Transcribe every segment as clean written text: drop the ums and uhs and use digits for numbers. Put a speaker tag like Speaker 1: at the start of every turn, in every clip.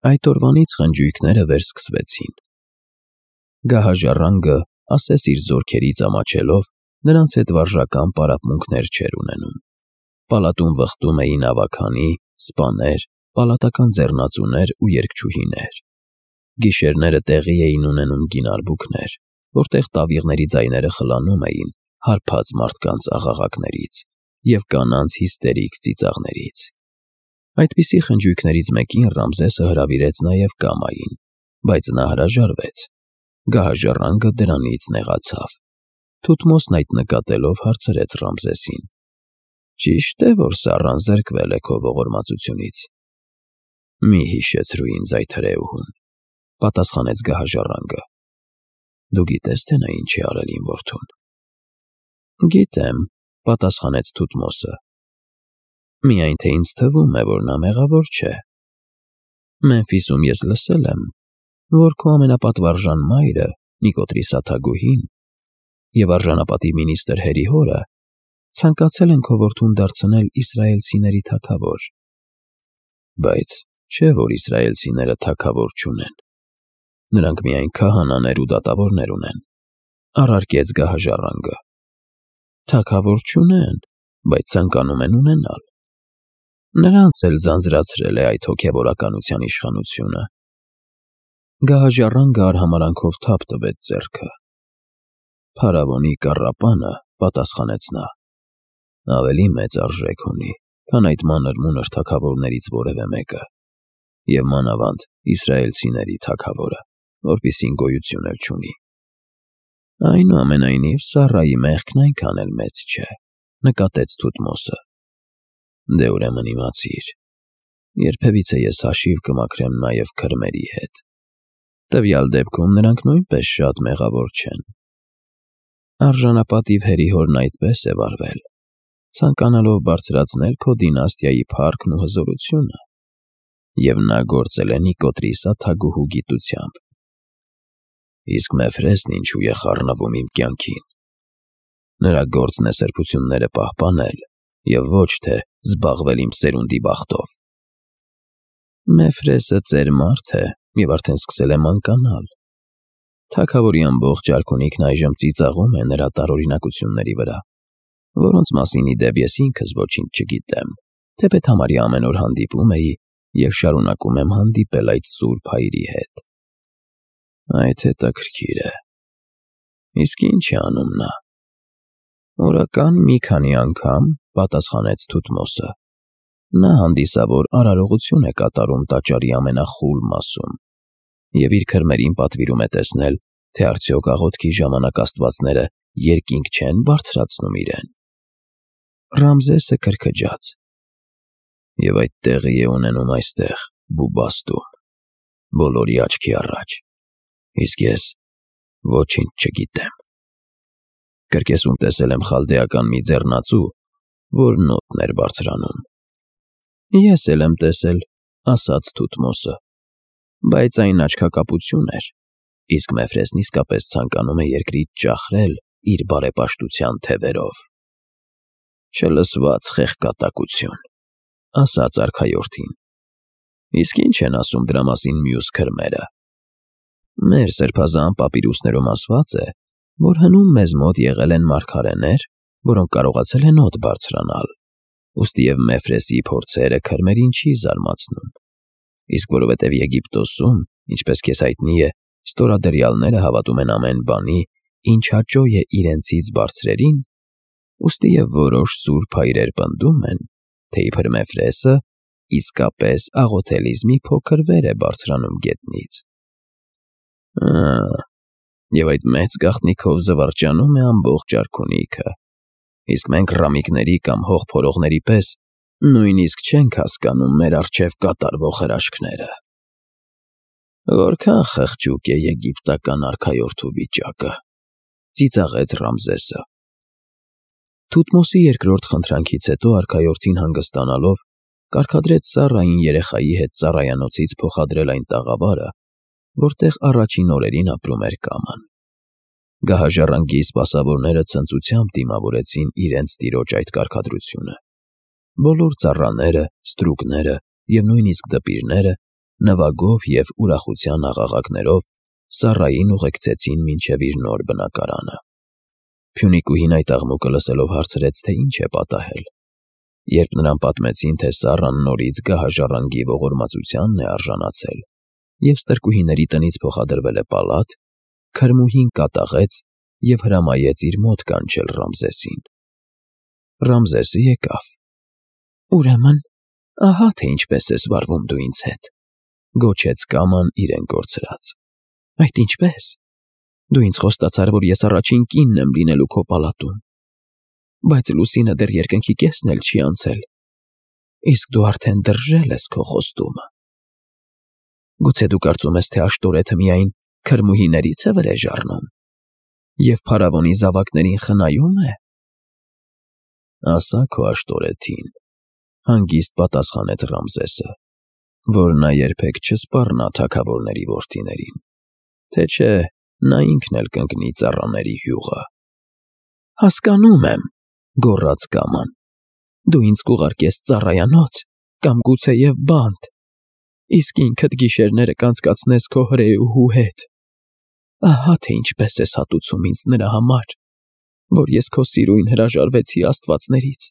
Speaker 1: Այդ օրվանից խնջույքները վերսկսվեցին։ Գահաժառանգը, ասես իր զորքերից ամաչելով, նրանց հետ վարժական պարապմունքներ չէր ունենում։ Պալատում վխտում էին ավագանի, սպաներ, պալատական ձեռնածուներ ու երգչուհիներ։ Գիշերները տեղի էին ունենում գինարբուքներ, որտեղ տավիղների ձայները խլանում էին հարբած մարդկանց աղաղակներից և կանանց հիստերիկ ծիծաղներից։ Այդպիսի խնջույքներից մեկին Ռամզեսը հրավիրեց նաև Կամային, բայց նա հրաժարվեց։ Գահաժառանգը դրանից նեղացավ։ Թութմոսն այդ նկատելով հարցրեց Ռամզեսին. «Ճիշտ է, որ Սառան զրկվել է քո ողորմածությունից»։ «Մի հիշեցրու ինձ այդ հրեուհուն», պատասխանեց գահաժառանգը։ «Դու գիտես, թե նա ինչ է արել իմ որդուն»։ «Գիտեմ», պատասխանեց Թութմոսը։ «Միայն թե ինձ թվում է, որ նա մեղավոր չէ։ Մեմֆիսում ես լսել եմ, որ քո ամենապատվարժան մայրը, Նիկոտրիսաթագուհին, և արժանապատիվ մինիստր Հերիհորը ցանկացել են քո որդուն դարձնել իսրայելցիների թագավոր»։ «Բայց չէ՞ որ իսրայելցիները թագավոր չունեն։ Նրանք միայն քահանաներ ու դատավորներ ունեն», առարկեց գահաժառանգը։ «Թագավոր չունեն, բայց ցանկանում են ունենալ։ Նրանց էլ ձանձրացրել է այդ հոգևորականության իշխանությունը»։ Գահաժառանգը արհամարհանքով թափ տվեց ձեռքը։ «Փարավոնի կառապանը», պատասխանեց նա, «ավելի մեծ արժեք ունի, քան այդ մանր-մունր թագավորներից որևէ մեկը, և մանավանդ իսրայելցիների թագավորը, որպիսին գոյություն էլ չունի»։ «Այնուամենայնիվ, Սառայի մեղքն այնքան էլ մեծ չէ», նկատեց Թութմոսը։ «Դե ուրեմն իմացիր, երբևիցե ես հաշիվ կմաքրեմ նաև քրմերի հետ։ Տվյալ դեպքում նրանք նույնպես շատ մեղավոր չեն։ Արժանապատիվ Հերիհորն այդպես է վարվել, ցանկանալով բարձրացնել քո դինաստիայի փառքն ու հզորությունը, և նա գործել է Նիկոտրիսաթագուհու գիտությամբ։ Իսկ Մեֆրեսն ինչու է խառնվում իմ կյանքին։ Նրա գործն է սրբությունները պահպանել և ոչ թե զբաղվել իմ սերունդի բախտով»։ «Մեֆրեսը ծեր մարդ է և արդեն սկսել է մանկանալ։ Թագավորի ամբողջ արքունիքն այժմ ծիծաղում է նրա տարօրինակությունների վրա, որոնց մասին, ի դեպ, ես ինքս ոչինչ չգիտեմ, թեպետ համարյա ամեն օր հանդիպում էի և շարունակում եմ հանդիպել այդ սուրբ հայրի հետ»։ «Այդ հետաքրքիր է։ Իսկ ի՞նչ է անում նա»։ «Օրական մի քանի անգամ», պատասխանեց Թութմոսը, «նա հանդիսավոր արարողություն է կատարում տաճարի ամենախուլ մասում և իր քրմերին պատվիրում է տեսնել, թե արդյոք աղոթքի ժամանակ աստվածները երկինք չեն բարձրացնում իրեն»։ Ռամզեսը քրքջաց։ «Եվ այդ տեղի է ունենում այստեղ, Բուբաստում, բոլորի աչքի առաջ, իսկ ես ոչինչ չգիտեմ։ Կրկեսում տեսել եմ խալդեական մի ձեռնածու, որ նոտն էր բարձրանում»։ «Ես էլ եմ տեսել», ասաց Թութմոսը, «բայց այն աչքակապություն էր, իսկ Մեֆրեսն իսկապես ցանկանում է երկրից ճախրել իր բարեպաշտության թևերով»։ «Չլսված խեղկատակություն», ասաց արքայորդին։ «Իսկ ի՞նչ են ասում դրա մասին մյուս քրմերը»։ «Մեր սրբազան պապիրուսներում ասված է, որ հնում մեզ մոտ եղել են մարգարեներ, որոնք կարողացել են օդ բարձրանալ, ուստիև Մեֆրեսի փորձերը քրմերին չի զարմացնում։ Իսկ որովհետև Եգիպտոսում, ինչպես քեզ հայտնի է, ստորադրյալները հավատում են ամեն բանի, ինչ հաճո է իրենցից բարձրերին, ուստիև որոշ սուրբ հայրեր պնդում են, թե իբր Մեֆրեսը իսկապես աղոթելիս մի փոքր վեր է բարձրանում գետնից։ Եվ այդ մեծ գաղտնիքով զվարճանում է ամբողջ արքունիքը, իսկ մենք ռամիկների կամ հող փորողների պես նույնիսկ չենք հասկանում մեր առջև կատարվող հրաշքները։ Որքան խղճուկ է եգիպտական արքայորդու վիճակը», ծիծաղեց Ռամզեսը։ Թութմոսի երկրորդ խնդրանքից հետո արքայորդին հանգստանալով կարգադրեց Սառային երեխայի հետ ծառայանոցից փոխադրել այն տաղավարը, որտեղ առաջին օրերին ապրում էր Կաման։ Գահաժառանգի սպասավորները ցնծությամբ դիմավորեցին իրենց տիրոջ այդ կարգադրությունը։ Բոլոր ծառաները, ստրուկները և նույնիսկ դպիրները նվագով և ուրախության աղաղակներով Սառային ուղեկցեցին մինչև իր նոր բնակարանը։ Փյունիկուհին այդ աղմուկը լսելով հարցրեց, թե ինչ է պատահել։ Երբ նրան պատմեցին, թե Սառան նորից գահաժառանգի ողորմածությանն է արժանացել և ստրկուհիների տնից փոխադրվել է պալատ, քրմուհին կատաղեց և հրամայեց իր մոտ կանչել Ռամզեսին։ Ռամզեսը եկավ։ «Ուրեմն, ահա թե ինչպես ես վարվում դու ինձ հետ», գոչեց կաման իրեն կորցրած։ «Այդ ինչպե՞ս։ Դու ինձ խոստացար, որ ես առաջին կինն եմ լինելու քո պալատում, բայց լուսինը դեռ երկնքի կեսն էլ չի անցել, իսկ դու արդեն դրժել ես քո խոստումը։ Գուցե դու կարծում ես, թե Աշտորեթը միայն քրմուհիներից է վրեժ առնում և փարավոնի զավակներին խնայում է»։ «Ասա քո Աշտորեթին», հանգիստ պատասխանեց Ռամզեսը, «որ նա երբեք չսպառնա թագավորների որդիներին, թե չէ նա ինքն էլ կընկնի ծառաների հյուղը»։ «Հասկանում եմ», գոռաց կաման, «դու ինձ կուղարկես ծառայանոց կամ գուցեև բանտ, իսկ ինքդ գիշերները կանցկացնես քո հրեուհու հետ։ Ահա թե ինչպես ես հատուցում ինձ նրա համար, որ ես քո սիրուն հրաժարվեցի աստվածներից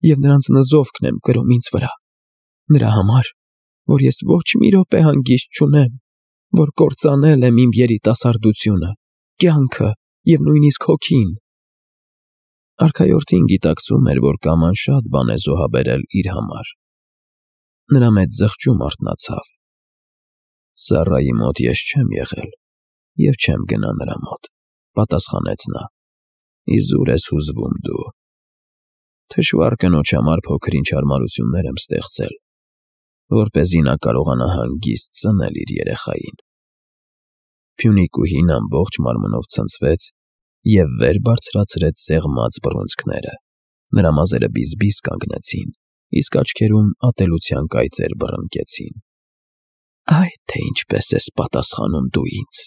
Speaker 1: և նրանց նզովքն եմ կրում ինձ վրա, նրա համար, որ ես ոչ մի րոպե հանգիստ չունեմ, որ կործանել եմ իմ երիտասարդությունը, կյանքը և նույնիսկ հոգին»։ Արքայորդին գիտակցում էր, որ կաման շատ բան է զոհաբերել իր համար։ Նրա մեջ զղջում արթնացավ։ «Սառայի մոտ ես չեմ եղել և չեմ գնա նրա մոտ», պատասխանեց նա։ «Իզուր ես հուզվում դու։ Թշվառ կնոջ համար փոքր-ինչ հարմարություններ եմ ստեղծել, որպեսզի նա կարողանա հանգիստ սնել իր երեխային»։ Փյունիկուհին ամբողջ մարմնով ցնցվեց և վեր բարձրացրեց սեղմած բռունցքները։ Նրա մազերը բիզբիզ կանգնեցին, իսկ աչքերում ատելության կայծեր բռնկեցին։ «Այ թե ինչպես ես պատասխանում դու ինձ։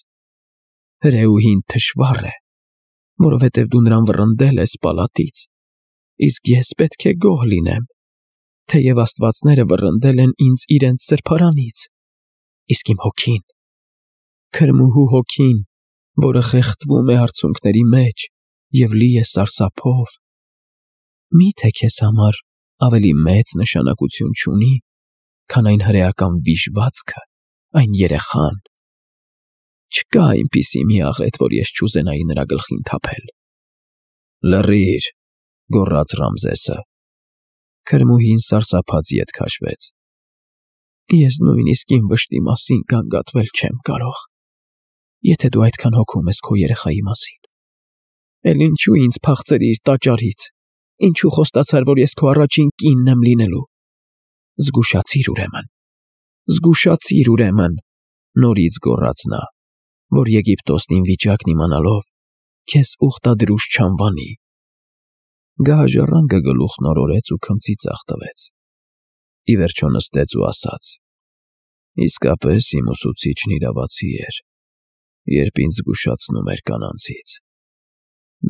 Speaker 1: Հրեուհին թշվառ է, որովհետև դու նրան վռնդել ես պալատից, իսկ ես պետք է գոհ լինեմ, թեև աստվածները վռնդել են ինձ իրենց սրբարանից, իսկ իմ հոգին, քրմուհու հոգին, որը խեղդվում է արցունքների մեջ և լի է սարսափով, մի՞թե քեզ համար ավելի մեծ նշանակություն չունի, քան այն հրեական վիժվածքը, այն երեխան։ Չկա այնպիսի մի աղետ, որ ես չուզենայի նրա գլխին թափել»։ «Լռի՛ր», գոռաց Ռամզեսը։ Քրմուհին սարսափած ետ քաշվեց։ «Ես նույնիսկ իմ վշտի մասին գանգատվել չեմ կարող, եթե դու այդքան հոգում ես քո երեխայի մասին։ Էլ ինչու ինձ փախցրիր տաճարից, ինչու խոստացար, որ ես քո առաջին կինն եմ լինելու։ Զգուշացիր ուրեմն, նորից գոռաց նա, որ Եգիպտոսն իմ վիճակն իմանալով քեզ ուխտադրուժ չանվանի»։ Գահաժառանգը գլուխն օրորեց ու քմծի ձախ տվեց։ Ի վերջո նստեց ու ասաց. «Իսկապես իմ ուսուցիչն իրավացի էր, երբ ինձ զգուշացնում էր կանանցից։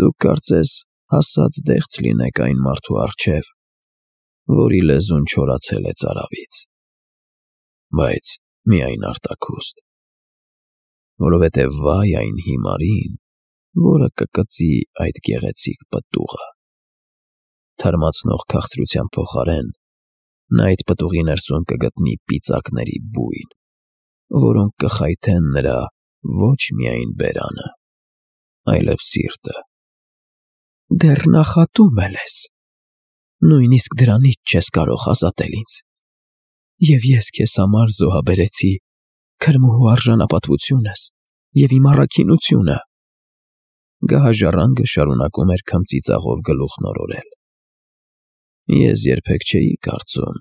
Speaker 1: Դուք կարծես հասած դեղց լինեք այն մարդու առջև, որի լեզուն չորացել է ծարավից, բայց միայն արտաքուստ, որովհետև վայ այն հիմարին, որը կկծի այդ գեղեցիկ պտուղը։ Թարմացնող քաղցրության փոխարեն նա այդ պտուղի ներսում կգտնի պիծակների բույն, որոնք կխայթեն նրա ոչ միայն բերանը, այլև սիրտը»։ «Դեռ նախատում էլ ես, նույնիսկ դրանից չես կարող ազատել ինձ, և ես քեզ համար զոհաբերեցի քրմուհու արժանապատվությունս և իմ առաքինությունը»։ Գահաժառանգը շարունակում էր քմծիծաղով գլուխն օրորել։ «Ես երբեք չէի կարծում»,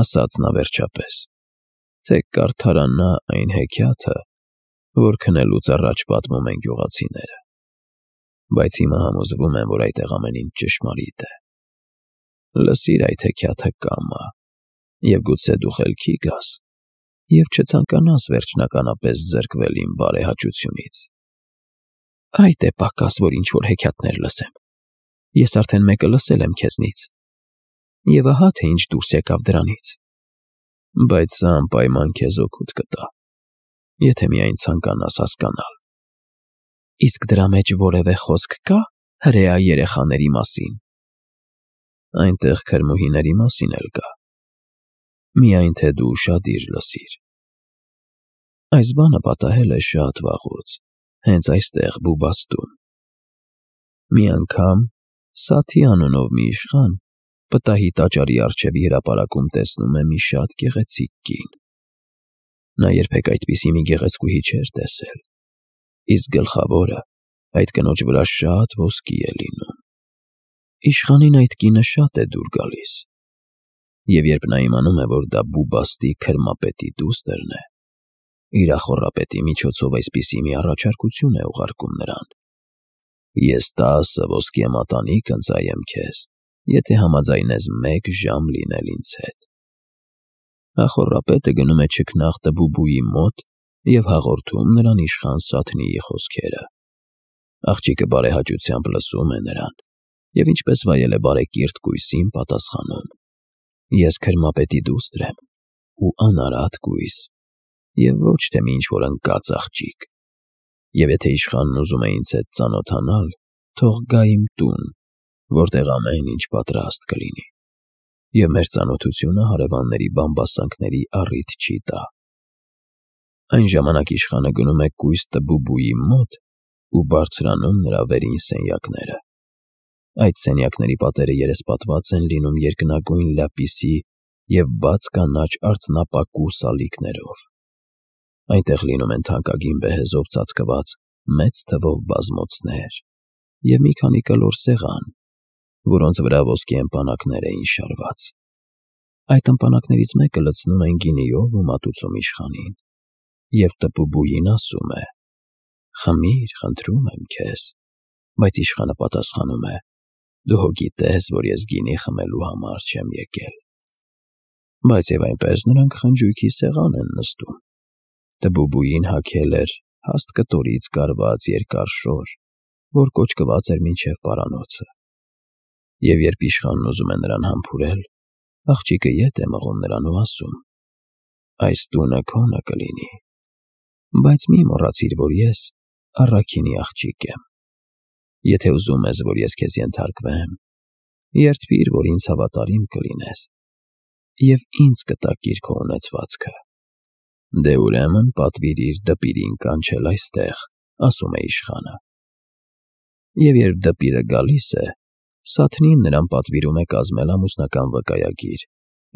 Speaker 1: ասաց նա վերջապես, «թե կարդարանա այն հեքիաթը, որ քնելուց առաջ պատմում են գյուղացիները, բայց հիմա համոզվում եմ, որ այդտեղ ամեն ինչ ճշմարիտ է։ Լսիր այդ հեքիաթը կամա, և գուցե դու խելքի գաս և չցանկանաս վերջնականապես զրկվել իմ բարեհաճությունից»։ «Այդ է պակաս, որ ինչ-որ հեքիաթներ լսեմ։ Ես արդեն մեկը լսել եմ քեզնից, և ահա թե ինչ դուրս եկավ դրանից։ Բայց սա անպայման քեզ օգուտ կտա, եթե միայն ցանկանաս հասկանալ։ Իսկ դրա մեջ որևէ խոսք կա հրեա երեխաների մասին։ Այնտեղ քրմուհիների մասին էլ կա։ Միայն թե դու ուշադիր լսիր։ Այս բանը պատահել է շատ վաղուց, հենց այստեղ Բուբաստում։ Մի անգամ Սաթի անունով մի իշխան պտահի տաճարի առջևի հրապարակում տեսնում է մի շատ գեղեցիկ կին։ Նա երբեք այդպիսի մի գեղեցկուհի չէր տեսել, իսկ գլխավորը այդ կնոջ վրա շատ ոսկի է լինում։ Իշխանին այդ կինը շատ է դուր գալիս, և երբ նա իմանում է, որ դա Բուբաստի քրմապետի դուստրն է, իր ախոռապետի միջոցով այսպիսի մի առաջարկություն է ուղարկում նրան. «Ես 10 ոսկե մատանիկ ընծայեմ քեզ, եթե համաձայնես 1 ժամ լինել ինձ հետ»։ Ախոռապետը գնում է չքնաղ Տբուբուի մոտ և հաղորդում նրան իշխան Սաթնիի խոսքերը։ Աղջիկը բարեհաճությամբ լսում է նրան և ինչպես վայել է բարեկիրթ կույսին պատասխանում. «Ես քրմապետի դուստր եմ ու անարատ կույս, և ոչ թե մի ինչ-որ ընկած աղջիկ, և եթե իշխանն ուզում է ինձ հետ ծանոթանալ, թող գա իմ տուն, որտեղ ամեն ինչ պատրաստ կլինի, և մեր ծանոթությունը հարևանների բամբասանքների առիթ չի տա»։ Այն ժամանակ իշխանը գնում է կույս Տբուբուի մոտ ու բարձրանում նրա վերին սենյակները։ Այդ սենյակների պատերը երեսպատված են լինում երկնագույն լապիսի և բաց կանաչ արծնապակու սալիկներով։ Այնտեղ լինում են թանկագին բեհեզով ծածկված մեծ թվով բազմոցներ և մի քանի կլոր սեղան, որոնց վրա ոսկե ըմպանակներ էին շարված։ Այդ ըմպանակներից մեկը լցնում են գինիով ու մատուցում իշխանին, և Տբուբուին ասում է. «Խմիր, խնդրում եմ քեզ», բայց իշխանը պատասխանում է. «Դու հո գիտես, որ ես գինի խմելու համար չեմ եկել»։ Բայց և այնպես նրանք խնջույքի սեղան են նստում։ Տբուբուին հագել էր հաստ կտորից կարված երկար շոր, որ կոճկված էր մինչև պարանոցը, և երբ իշխանն ուզում է նրան համբուրել, աղջիկը ետ է մղում նրան ու ասում. «Այս տունը քոնը կլինի, բայց մի մոռացիր, որ ես առաքինի աղջիկ եմ։ Եթե ուզում ես, որ ես քեզ ենթարկվեմ, երդվիր, որ ինձ հավատարիմ կլինես, և ինձ կտակիր քո ունեցվածքը»։ «Դե ուրեմն պատվիրիր դպիրին կանչել այստեղ», ասում է իշխանը։ Եվ երբ դպիրը գալիս է, Սաթնին նրան պատվիրում է կազմել ամուսնական վկայագիր,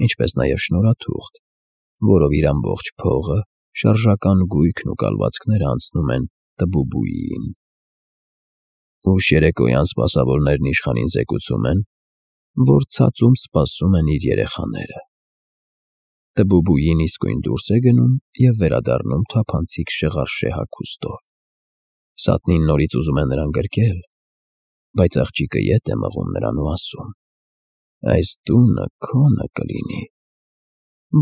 Speaker 1: ինչպես նաև շնորհաթուղթ, որով իր ամբողջ փողը, շարժական գույքն ու կալվածքները անցնում են Տբուբուիին։ Ուշ երեկոյան սպասավորներն իշխանին զեկուցում են, որ ցածում սպասում են իր երեխաները։ Տբուբուին իսկույն դուրս է գնում և վերադառնում թափանցիկ շղարշե հագուստով։ Սաթնին նորից ուզում է նրան գրկել, բայց աղջիկը ետ է մղում նրան ու ասում. «Այս տունը քոնը կլինի,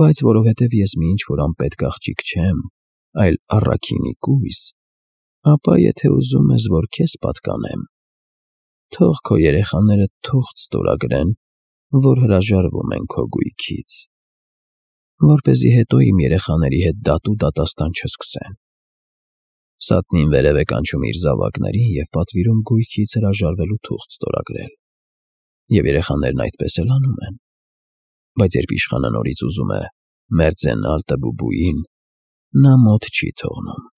Speaker 1: բայց որովհետև ես մի ինչ-որ անպետք աղջիկ չեմ, այլ առաքինի կույս, ապա եթե ուզում ես, որ քեզ պատկանեմ, թող քո երեխաները թուղթ ստորագրեն, որ հրաժարվում են քո գույքից, որպեսզի հետո իմ երեխաների հետ դատ ու դատաստան չսկսեն»։ Սաթնին վերև է կանչում իր զավակներին և պատվիրում գույքից հրաժարվելու թուղթ ստորագրել, և երեխաներն այդպես էլ անում են։ Բայց երբ իշխանը նորից ուզում է մերձենալ Տբուբուին, նա մոտ չի թողնում։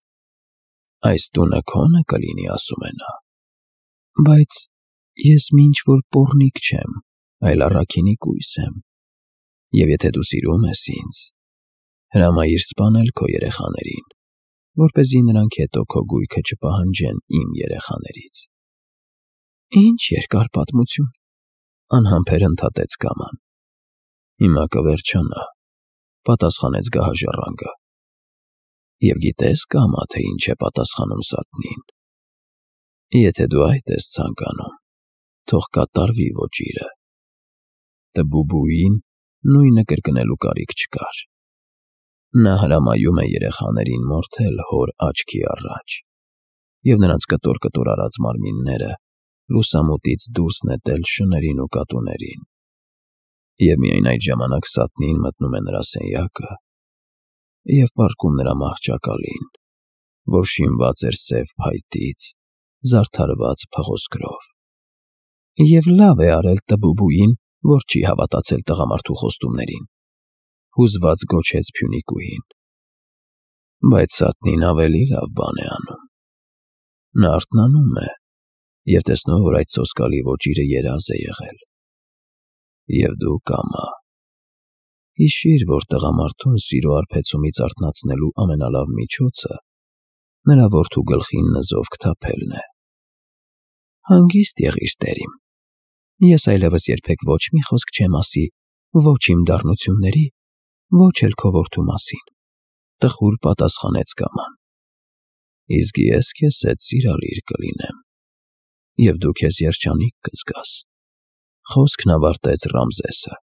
Speaker 1: «Այս տունը քոնը կլինի», ասում է նա, «բայց ես մի ինչ-որ պոռնիկ չեմ, այլ առաքինի կույս եմ, և եթե դու սիրում ես ինձ, հրամայիր սպանել քո երեխաներին, որպեսզի նրանք հետո քո գույքը չպահանջեն իմ երեխաներից»։ «Ինչ երկար պատմություն», անհամբեր ընդհատեց Կաման։ «Հիմա կվերջանա», պատասխանեց գահաժառանգը։ Եվ գիտե՞ս, Կամա, թե ինչ է պատասխանում Սաթնին։ «Եթե դու այդ ես ցանկանում, թող կատարվի ոճիրը»։ Տբուբուին նույնը կրկնելու կարիք չկար։ Նա հրամայում է երեխաներին մորթել հոր աչքի առաջ և նրանց կտոր-կտոր արած մարմինները լուսամուտից դուրս նետել շներին ու կատուներին։ Եվ միայն այդ ժամանակ Սատնին մտնում է նրա սենյակը և պառկում նրա մահճակալին, որ շինված էր սև փայտից, զարդարված փղոսկրով։ Եվ լավ է արել տբուբուին, որ չի հավատացել տղամարդու խոստումներին, հուզված գոչեց Փյունիկուհին։ Բայց Սատնին ավելի լավ բան է անում։ Նա արթնանում է և տեսնում, որ այդ սոսկալի ոճիրը երազ է եղել։ Եվ դու կամա։ Հիշիր, որ տղամարդուն սիրո արբեցումից արթնացնելու ամենալավ միջոցը նրա որդու գլխին նզով կթափելն է։ Հանգիստ եղիր, տերիմ, ես այլևս երբեք ոչ մի խոսք չեմ ասի ոչ իմ դառնությունների, ոչ էլ քո որդու մասին, տխուր պատասխանեց կաման։ Իսկ ես քեզ հետ սիրալիր կլինեմ, և դու քեզ երջանիկ կզգաս, խոսքն ավարտեց Ռամզեսը։